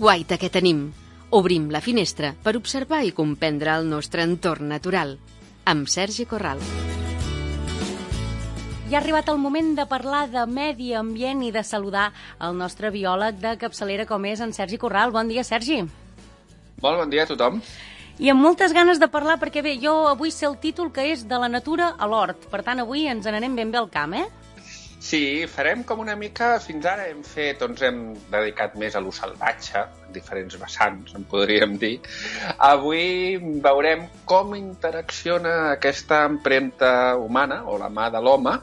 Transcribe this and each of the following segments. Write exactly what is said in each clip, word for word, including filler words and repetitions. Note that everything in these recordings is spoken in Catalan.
guaita que tenim. Obrim la finestra per observar i comprendre el nostre entorn natural. Amb Sergi Corral. Ja ha arribat el moment de parlar de medi ambient i de saludar el nostre biòleg de capçalera com és en Sergi Corral. Bon dia, Sergi. Molt bon dia a tothom. I amb moltes ganes de parlar, perquè bé, jo avui sé el títol que és de la natura a l'hort. Per tant, avui ens n'anem ben bé al camp, eh? Sí, farem com una mica, fins ara hem fet, doncs hem dedicat més a lo salvatge, diferents vessants, en podríem dir. Avui veurem com interacciona aquesta empremta humana, o la mà de l'home,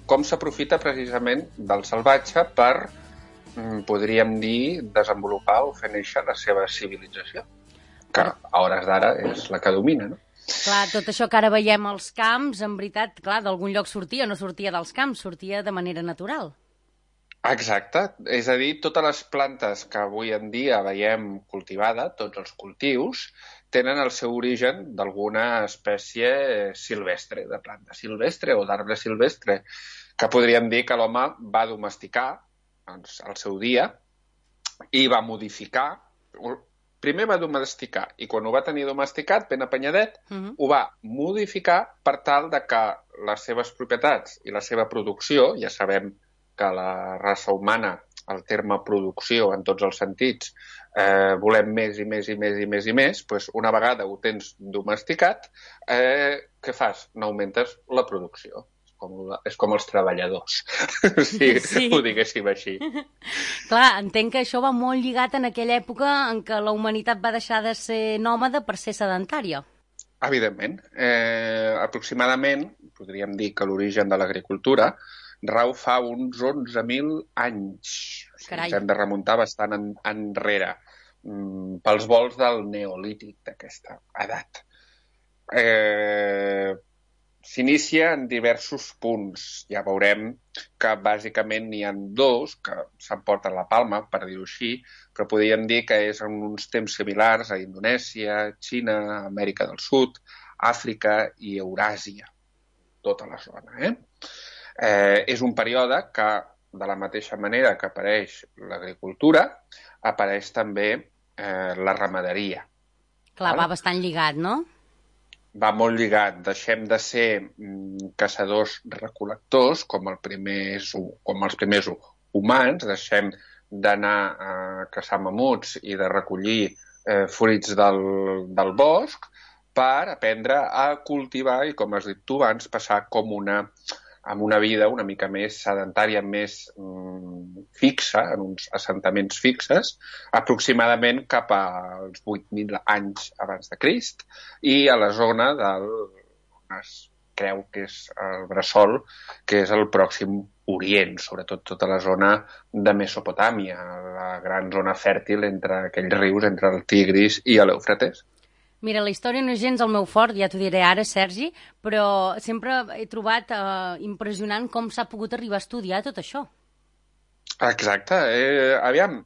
com s'aprofita precisament del salvatge per, podríem dir, desenvolupar o fer néixer la seva civilització, que a hores d'ara és la que domina, no? Clar, tot això que ara veiem als camps, en veritat, clar, d'algun lloc sortia, no sortia dels camps, sortia de manera natural. Exacte, és a dir, totes les plantes que avui en dia veiem cultivada, tots els cultius, tenen el seu origen d'alguna espècie silvestre, de planta silvestre o d'arbre silvestre, que podríem dir que l'home va domesticar doncs, al seu dia i va modificar. Primer va domesticar i quan ho va tenir domesticat, ben apanyadet, uh-huh. ho va modificar per tal de que les seves propietats i la seva producció, ja sabem que la raça humana, el terme producció en tots els sentits, eh, volem més i més i més i més i més, doncs una vegada ho tens domesticat, eh, què fas? N'augmentes la producció. Com, és com els treballadors, si sí. ho diguéssim així. Clar, entenc que això va molt lligat en aquella època en què la humanitat va deixar de ser nòmada per ser sedentària. Evidentment. Eh, aproximadament, podríem dir que l'origen de l'agricultura rau fa uns onze mil anys. O sigui, ens hem de remuntar bastant en, enrere, mm, pels volts del neolític d'aquesta edat. Eh... S'inicia en diversos punts. Ja veurem que bàsicament n'hi ha dos que s'emporten la palma, per dir-ho així, però podríem dir que és en uns temps similars a Indonèsia, Xina, Amèrica del Sud, Àfrica i Euràsia. Tota la zona, eh? eh és un període que, de la mateixa manera que apareix l'agricultura, apareix també eh, la ramaderia. Clar, va bastant lligat, no? Va molt lligat. Deixem de ser mm, caçadors-recol·lectors, com, el primer, com els primers humans, deixem d'anar a caçar mamuts i de recollir eh, fruits del, del bosc per aprendre a cultivar i, com has dit tu abans, passar com una, amb una vida una mica més sedentària, més mm, fixa, en uns assentaments fixes, aproximadament cap als vuit mil anys abans de Crist, i a la zona del on es creu que és el bressol, que és el Pròxim Orient, sobretot tota la zona de Mesopotàmia, la gran zona fèrtil entre aquells rius, entre el Tigris i l'Eufrates. Mira, la història no és gens el meu fort, ja t'ho diré ara, Sergi, però sempre he trobat eh, impressionant com s'ha pogut arribar a estudiar tot això. Exacte. Eh, aviam,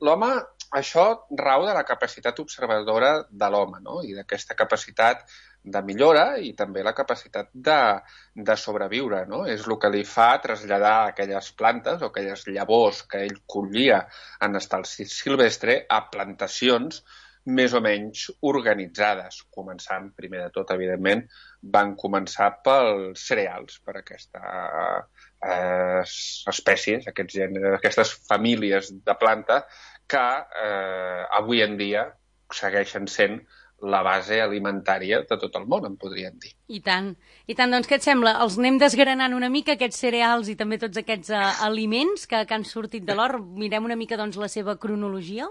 l'home, això rau de la capacitat observadora de l'home, no? I d'aquesta capacitat de millora i també la capacitat de, de sobreviure, no? És el que li fa traslladar aquelles plantes o aquelles llavors que ell collia en estat silvestre a plantacions més o menys organitzades, començant, primer de tot, evidentment, van començar pels cereals, per aquestes eh, espècies, aquests gèneres, aquestes famílies de planta que eh, avui en dia segueixen sent la base alimentària de tot el món, en podríem dir. I tant. I tant, doncs què et sembla? Els anem desgranant una mica, aquests cereals i també tots aquests uh, aliments que, que han sortit de l'hort. Mirem una mica doncs la seva cronologia.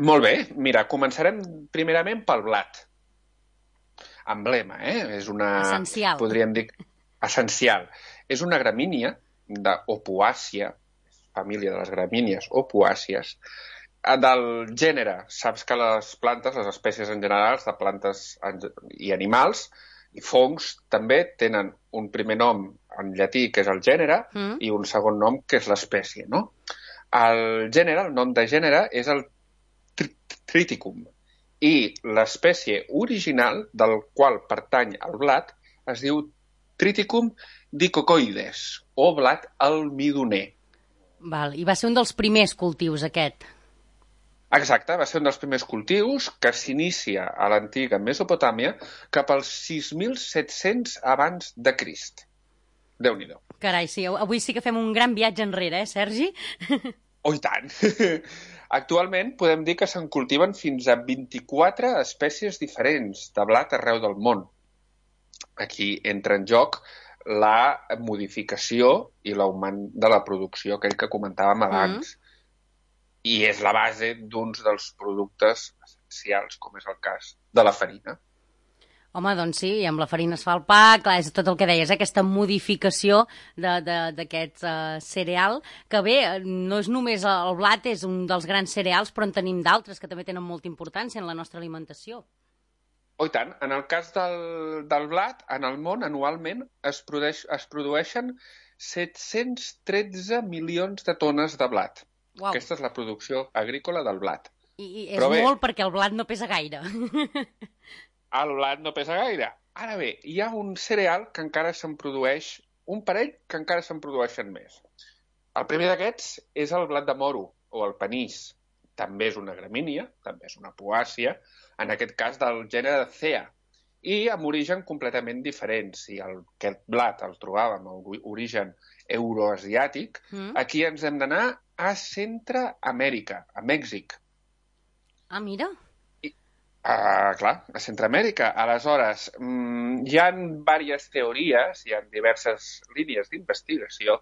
Molt bé. Mira, començarem primerament pel blat. Emblema, eh? És una... Essencial. Podríem dir... Essencial. És una gramínia d'Opoàcia, família de les gramínies opoàcies, del gènere. Saps que les plantes, les espècies en general, de plantes i animals, i fongs, també tenen un primer nom en llatí, que és el gènere, mm. i un segon nom, que és l'espècie, no? El gènere, el nom de gènere, és el Triticum, i l'espècie original del qual pertany el blat es diu Triticum dicocoides, o blat almidoner. Val, i va ser un dels primers cultius, aquest. Exacte, va ser un dels primers cultius que s'inicia a l'antiga Mesopotàmia cap als sis mil set-cents abans de Crist. Déu-n'hi-do. Carai, sí, avui sí que fem un gran viatge enrere, eh, Sergi? Oh, i tant! Actualment podem dir que se'n cultiven fins a vint-i-quatre espècies diferents de blat arreu del món. Aquí entra en joc la modificació i l'augment de la producció, aquell que comentàvem abans. Mm. I és la base d'uns dels productes essencials, com és el cas de la farina. Home, doncs sí, i amb la farina es fa el pa, clar, és tot el que deies, eh? Aquesta modificació d'aquest uh, cereal, que bé, no és només el blat, és un dels grans cereals, però en tenim d'altres que també tenen molta importància en la nostra alimentació. Oh, i tant. En el cas del, del blat, en el món anualment es, produeix, es produeixen set-cents tretze milions de tones de blat. Uau. Aquesta és la producció agrícola del blat. I, i és bé, molt perquè el blat no pesa gaire. El blat no pesa gaire. Ara bé, hi ha un cereal que encara se'n produeix, un parell que encara se'n produeixen més. El primer d'aquests és el blat de moro, o el panís. També és una gramínia, també és una poàcia, en aquest cas del gènere Cea, i amb origen completament diferent. Si el, aquest blat el trobàvem amb origen euroasiàtic, mm. aquí ens hem d'anar a Centreamèrica, a Mèxic. Ah, mira. I, uh, clar, a Centreamèrica. Aleshores, mmm, hi ha diverses teories, hi ha diverses línies d'investigació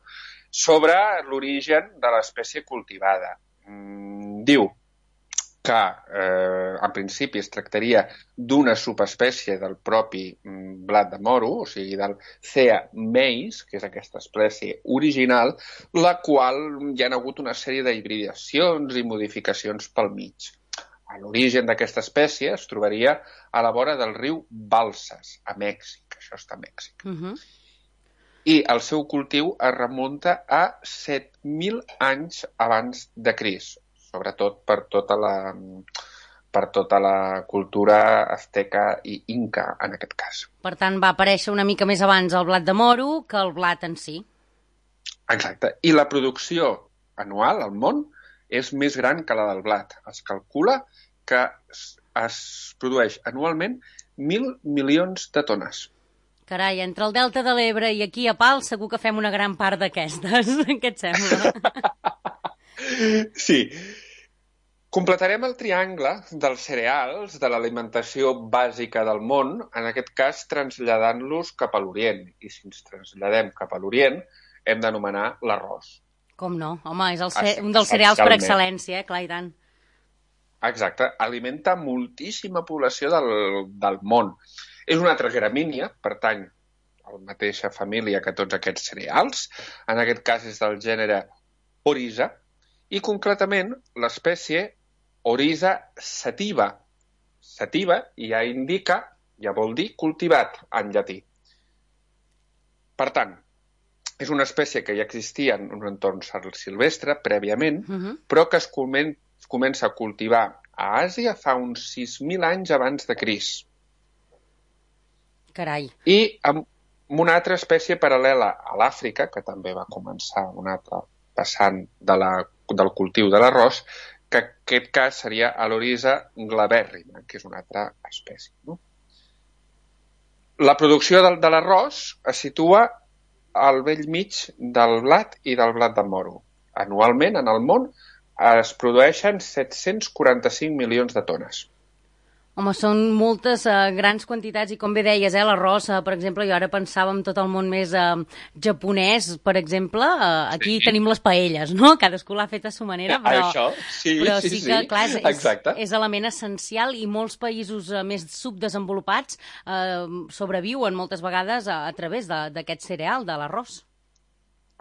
sobre l'origen de l'espècie cultivada. Mm, diu que eh, en principi es tractaria d'una subespècie del propi mm, blat de moro, o sigui, del Cea maize, que és aquesta espècie original, la qual hi ha hagut una sèrie d'hibridacions i modificacions pel mig. L'origen d'aquesta espècie es trobaria a la vora del riu Balsas, a Mèxic. Això està a Mèxic. Uh-huh. I el seu cultiu es remunta a set mil anys abans de Crist, sobretot per tota la, per tota la cultura azteca i inca, en aquest cas. Per tant, va aparèixer una mica més abans el blat de moro que el blat en si. Exacte. I la producció anual al món és més gran que la del blat. Es calcula que es produeix anualment mil milions de tones. Carai, entre el Delta de l'Ebre i aquí a Pal segur que fem una gran part d'aquestes. Què et sembla? Sí. Completarem el triangle dels cereals, de l'alimentació bàsica del món, en aquest cas traslladant-los cap a l'Orient. I si ens traslladem cap a l'Orient, hem d'anomenar l'arròs. Com no? Home, és el ce... un dels cereals per excel·lència, eh? Clar i tant. Exacte. Alimenta moltíssima població del, del món. És una altra gramínia, pertany a la mateixa família que tots aquests cereals. En aquest cas és del gènere Oryza, i concretament l'espècie Oryza sativa. Sativa ja indica, ja vol dir cultivat en llatí. Per tant, és una espècie que ja existia en un entorn silvestre prèviament, uh-huh. però que es comen- comença a cultivar a Àsia fa uns sis mil anys abans de Crist. Carai. I amb una altra espècie paral·lela a l'Àfrica, que també va començar un altre passant de la, del cultiu de l'arròs, que en aquest cas seria l'Oryza glabèrrima, que és una altra espècie. No? La producció de, de l'arròs es situa al bell mig del blat i del blat de moro. Anualment, en el món, es produeixen set-cents quaranta-cinc milions de tones. Home, són moltes uh, grans quantitats i com bé deies, eh, l'arròs, uh, per exemple, jo ara pensava en tot el món més uh, japonès, per exemple, uh, aquí sí. Tenim les paelles, no? Cadascú l'ha fet a su manera, però, Això, sí, però sí, sí que, sí. clar, és, Exacte. és, és element essencial i molts països uh, més subdesenvolupats uh, sobreviuen moltes vegades a, a través d'aquest cereal, de l'arròs.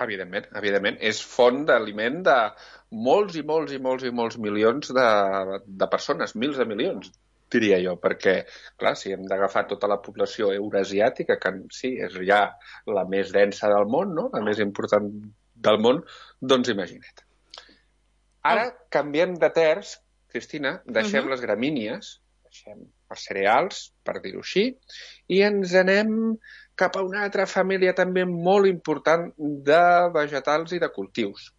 Evidentment, evidentment. És font d'aliment de molts i molts i molts i molts milions de, de persones, mils de milions, diria jo, perquè, clar, si hem d'agafar tota la població eurasiàtica, que sí, és ja la més densa del món, no?, la més important del món, doncs imagina't. Ara oh. canviem de terç, Cristina, deixem uh-huh. les gramínies, deixem els cereals, per dir-ho així, i ens anem cap a una altra família també molt important de vegetals i de cultius.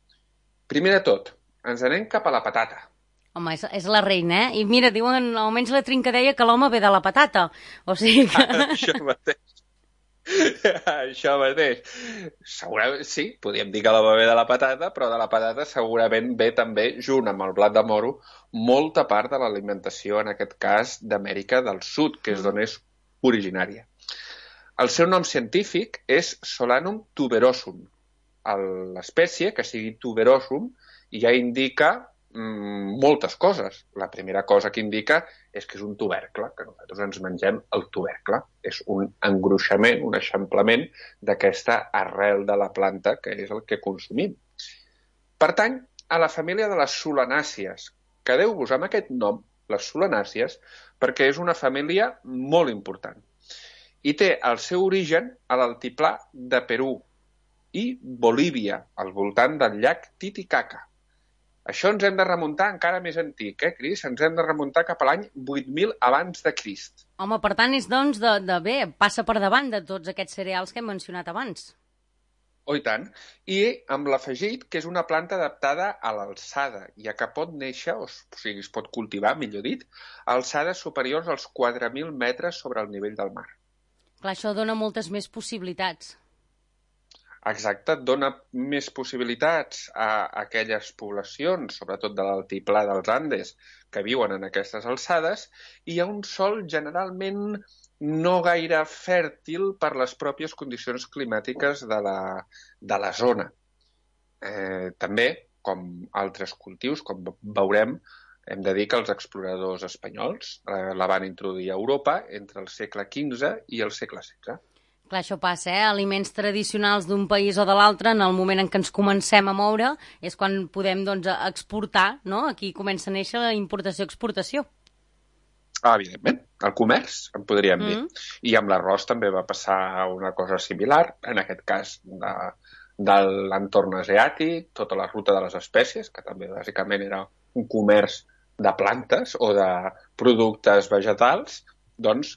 Primer de tot, ens anem cap a la patata. Home, és, és la reina, eh? I mira, diuen, almenys la Trinca deia que l'home ve de la patata. O sigui que... Això mateix. Això mateix. Segurament, sí, podríem dir que l'home ve de la patata, però de la patata segurament ve també, junt amb el blat de moro, molta part de l'alimentació, en aquest cas, d'Amèrica del Sud, que és d'on és originària. El seu nom científic és Solanum tuberosum. L'espècie, que sigui tuberosum, ja indica mm, moltes coses. La primera cosa que indica és que és un tubercle, que nosaltres ens mengem el tubercle. És un engruixament, un eixamplament d'aquesta arrel de la planta, que és el que consumim. Pertany a la família de les solanàcies. Quedeu-vos amb aquest nom, les solanàcies, perquè és una família molt important. I té el seu origen a l'altiplà de Perú i Bolívia, al voltant del llac Titicaca. Això ens hem de remuntar encara més antic, eh, Cris? Ens hem de remuntar cap a l'any vuit mil abans de Crist. Home, per tant, és doncs de, de bé, passa per davant de tots aquests cereals que hem mencionat abans. Oh, i tant. I amb l'afegit que és una planta adaptada a l'alçada, ja que pot néixer, o sigui, es pot cultivar, millor dit, a alçades superiors als quatre mil metres sobre el nivell del mar. Clar, això dona moltes més possibilitats. Exacte, dona més possibilitats a aquelles poblacions, sobretot de l'altiplà dels Andes, que viuen en aquestes alçades, i hi ha un sòl generalment no gaire fèrtil per les pròpies condicions climàtiques de la, de la zona. Eh, també, com altres cultius, com veurem, hem de dir que els exploradors espanyols eh, la van introduir a Europa entre el segle quinze i el segle setze. Clar, això passa, eh? Aliments tradicionals d'un país o de l'altre, en el moment en què ens comencem a moure, és quan podem doncs, exportar, no? Aquí comença a néixer la importació-exportació. Ah, evidentment, el comerç, en podríem dir. Mm. I amb l'arròs també va passar una cosa similar, en aquest cas de, de l'entorn asiàtic, tota la ruta de les espècies, que també bàsicament era un comerç de plantes o de productes vegetals, doncs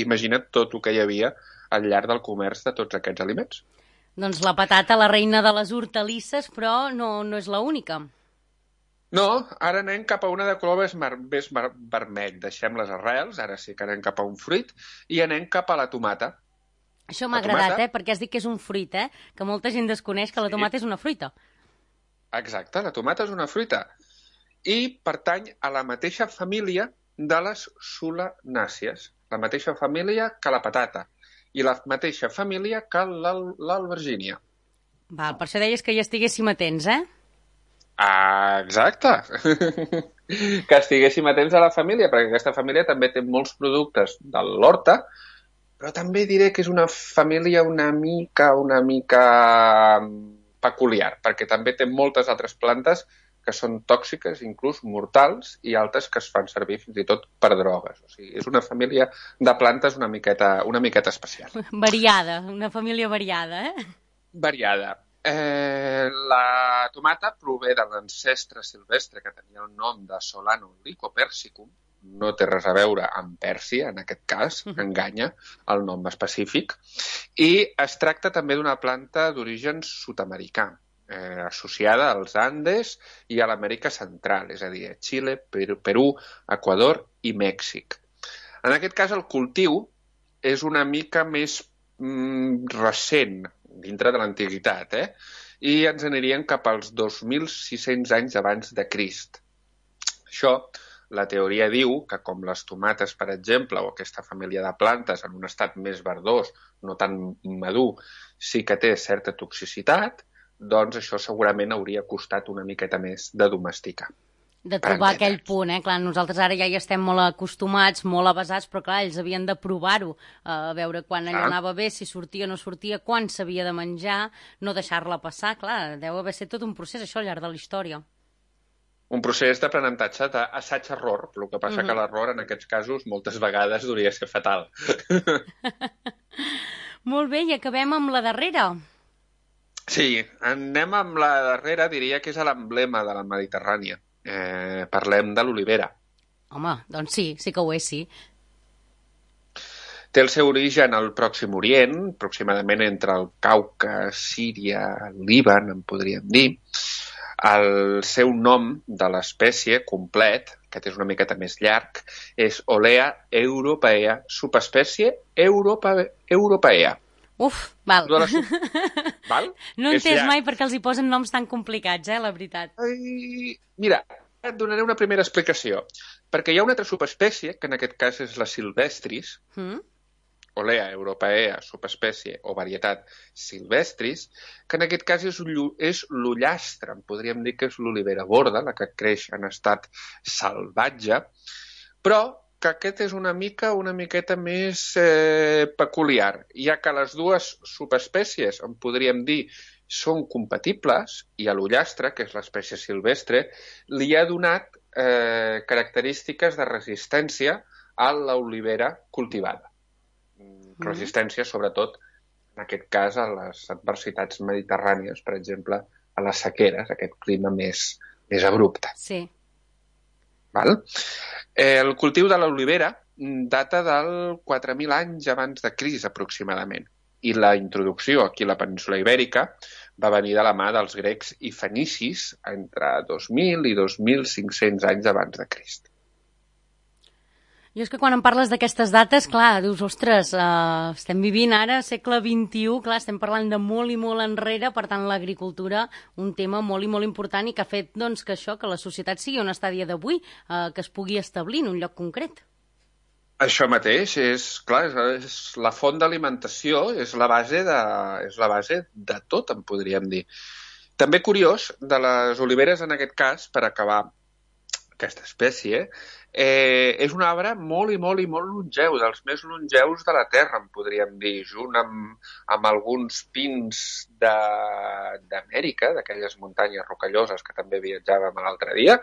imagina't tot el que hi havia al llarg del comerç de tots aquests aliments. Doncs la patata, la reina de les hortalisses, però no, no és l'única. No, ara anem cap a una de color més, mar, més mar, vermell. Deixem les arrels, ara sí que anem cap a un fruit, i anem cap a la tomata. Això m'ha agradat, tomata... eh? Perquè has dit que és un fruit, eh? Que molta gent desconeix que la tomata sí. És una fruita. Exacte, la tomata és una fruita. I pertany a la mateixa família de les solanàcies. La mateixa família que la patata. I la mateixa família que l'albergínia. Val, per això deies que ja estiguéssim atents, eh? Ah, exacte. Que estiguéssim atents a la família, perquè aquesta família també té molts productes de l'horta, però també diré que és una família una mica, una mica peculiar, perquè també té moltes altres plantes que són tòxiques, inclús mortals, i altres que es fan servir fins i tot per drogues. O sigui, és una família de plantes una miqueta, una miqueta especial. Variada, una família variada, eh? Variada. Eh, la tomata prové de l'ancestre silvestre que tenia el nom de Solanum lycopersicum. No té res a veure amb Pèrsia, en aquest cas, enganya el nom específic. I es tracta també d'una planta d'origen sud-americà. Eh, associada als Andes i a l'Amèrica Central, és a dir, a Xile, Perú, Equador i Mèxic. En aquest cas, el cultiu és una mica més mm, recent, dintre de l'antiguitat, eh? I ens aniríem cap als dos mil sis-cents anys abans de Crist. Això, la teoria diu que com les tomates, per exemple, o aquesta família de plantes en un estat més verdós, no tan madur, sí que té certa toxicitat, doncs això segurament hauria costat una miqueta més de domesticar. De trobar aquell punt, eh? Clar, nosaltres ara ja hi estem molt acostumats, molt avasats, però clar, ells havien de provar-ho, a veure quan allò anava bé, si sortia o no sortia, quan s'havia de menjar, no deixar-la passar, clar, deu haver estat tot un procés, això, al llarg de la història. Un procés d'aprenentatge, d'assaig-error, el que passa mm-hmm. que l'error en aquests casos moltes vegades hauria de ser fatal. Molt bé, i acabem amb la darrera. Sí, anem amb la darrera, diria que és l'emblema de la Mediterrània. Eh, parlem de l'olivera. Home, doncs sí, sí que ho és, sí. Té el seu origen al Pròxim Orient, aproximadament entre el Cauca, Síria, el Líban, en podríem dir. El seu nom de l'espècie complet, aquest és una miqueta més llarg, és Olea europaea, subespècie Europa, europaea. Uf, val. La... val? No he entès mai perquè els hi posen noms tan complicats, eh, la veritat. Ai... Mira, et donaré una primera explicació. Perquè hi ha una altra subespècie, que en aquest cas és la silvestris, mm? Olea europaea, subespècie o varietat silvestris, que en aquest cas és, és l'ullastre, podríem dir que és l'olivera borda, la que creix en estat salvatge, però que aquest és una mica, una miqueta més eh, peculiar, ja que les dues subespècies, en podríem dir, són compatibles, i a l'ullastre, que és l'espècie silvestre, li ha donat eh, característiques de resistència a l'olivera cultivada. Mm. Resistència, sobretot, en aquest cas, a les adversitats mediterrànies, per exemple, a les sequeres, aquest clima més, més abrupte. Sí. Val? Eh, el cultiu de l'olivera data del quatre mil anys abans de Crist, aproximadament. I la introducció aquí a la península Ibèrica va venir de la mà dels grecs i fenicis entre dos mil i dos mil cinc-cents anys abans de Crist. Jo és que quan em parles d'aquestes dates, clar, dius, ostres, uh, estem vivint ara segle vint-i-u, clar, estem parlant de molt i molt enrere, per tant, l'agricultura, un tema molt i molt important i que ha fet, doncs, que això, que la societat sigui on està a dia d'avui, uh, que es pugui establir en un lloc concret. Això mateix, és, clar, és, és la font d'alimentació, és la base de, és la base de tot, en podríem dir. També curiós, de les oliveres, en aquest cas, per acabar aquesta espècie, eh, és un arbre molt i molt i molt longeu, dels més longeus de la Terra, en podríem dir, junt amb, amb alguns pins d'Amèrica, d'aquelles muntanyes rocalloses que també viatjàvem l'altre dia,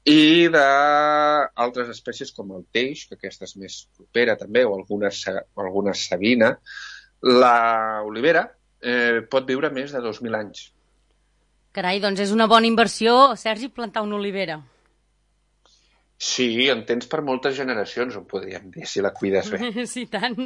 i d'altres espècies com el teix, que aquesta és més propera també, o alguna, o alguna savina. L'olivera eh, pot viure més de dos mil anys. Carai, doncs és una bona inversió, Sergi, plantar una olivera. Sí, en tens per moltes generacions, ho podríem dir, si la cuides bé. Sí, tant.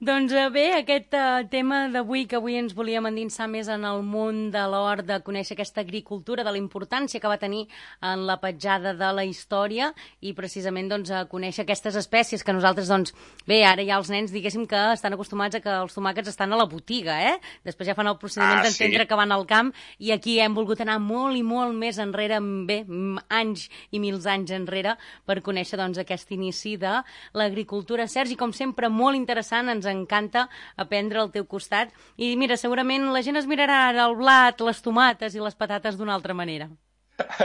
Doncs bé, aquest uh, tema d'avui, que avui ens volíem endinsar més en el món de l'hort, de conèixer aquesta agricultura, de la importància que va tenir en la petjada de la història i precisament doncs, a conèixer aquestes espècies que nosaltres, doncs, bé, ara ja els nens diguéssim que estan acostumats a que els tomàquets estan a la botiga, eh? Després ja fan el procediment ah, d'entendre sí. que van al camp i aquí hem volgut anar molt i molt més enrere, bé, anys i mils anys enrere per conèixer doncs, aquest inici de l'agricultura. Sergi, com sempre, molt interessant, ens encanta aprendre al teu costat i mira, segurament la gent es mirarà ara el blat, les tomates i les patates d'una altra manera.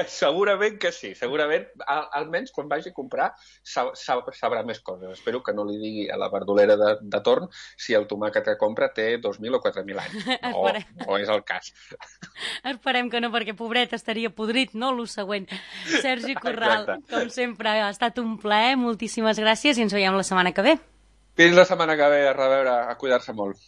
Segurament que sí, segurament, al, almenys quan vagi a comprar sab, sab, sabrà més coses. Espero que no li digui a la verdolera de, de torn si el tomàquet que compra té dos mil o quatre mil anys. No, no és el cas. Esperem que no, perquè pobret estaria podrit, no? Lo següent. Sergi Corral, exacte. Com sempre, ha estat un plaer, moltíssimes gràcies i ens veiem la setmana que ve. Fins la setmana que ve, a reveure, a cuidar-se molt.